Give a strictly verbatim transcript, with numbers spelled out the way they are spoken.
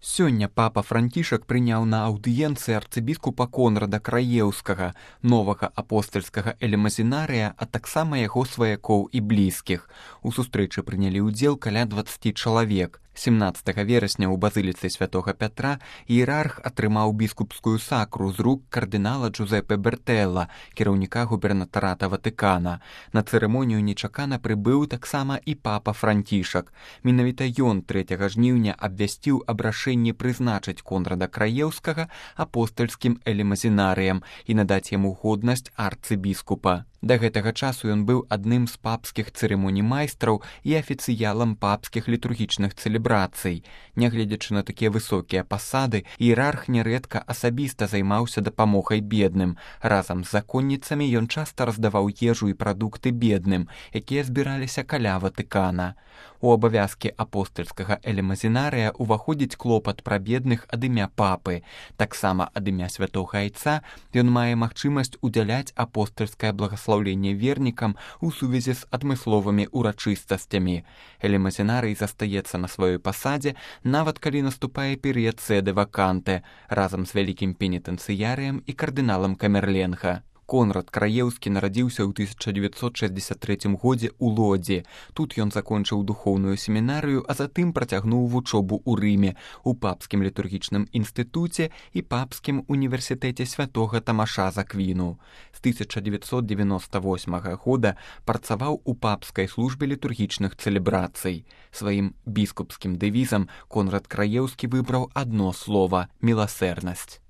Сёння папа Францішак прыняў на аўдыенцыі арцыбіскупа Конрада Краеўскага, новага апостальскага элемазінарыя, а таксама яго сваякоў і блізкіх. У сустрэчы прынялі ўдзел каля дваццаці чалавек. семнаццатага верасня ў базыліцы святога Пятра іерарх атрымаў біскупскую сакру з рук кардынала Джузепе Бертэлла, кіраўніка губернатарата Ватыкана. На цырымонію нечакана прыбыў таксама і папа Францішак. Менавіта ён трэцяга жніўня абвясціў аб рашэнні прызначыць Конрада Краеўскага апостальскім элемазінарыем і надаць яму годнасць арцыбіскупа. Да гэтага часу ён быў адным з папскіх цырымоній майстраў і афіцыялам папскіх літургічных цэлебрацый. Нягледзячы на такія высокія пасады, іерарх нярэдка асабіста займаўся дапамогай бедным. Разам з законніцамі ён часта раздаваў ежу і прадукты бедным, якія збіраліся каля Ватыкана. У абавязкі апостальскага элемазінарыя уваходзіць клопат пра бедных ад імя папы. Таксама ад імя святога айца ён мае магчымасць удзяляць апостальскае благаслаўленне вернікам у сувязі з адмысловымі урачыстасцямі. Элемазінарый застаецца на сваёй пасадзе, нават калі наступае перыяд сэды ваканты, разам з вялікім пенітэнцыярыем і кардыналам Камерленга. Конрад Краеўскі нарадзіўся ў тысяча дзевяцьсот шэсцьдзесят трэцім годзе ў Лодзі. Тут ён закончыў духоўную семінарыю, а затым працягнуў вучобу ў Рыме, у папскім літургічным інстытуце і папскім універсітэце святога Тамаша з Аквіну. З тысяча дзевяцьсот дзевяноста восьмага года працаваў у папскай службе літургічных цэлебрацый. Сваім біскупскім дэвізам Конрад Краеўскі выбраў адно слова – міласэрнасць.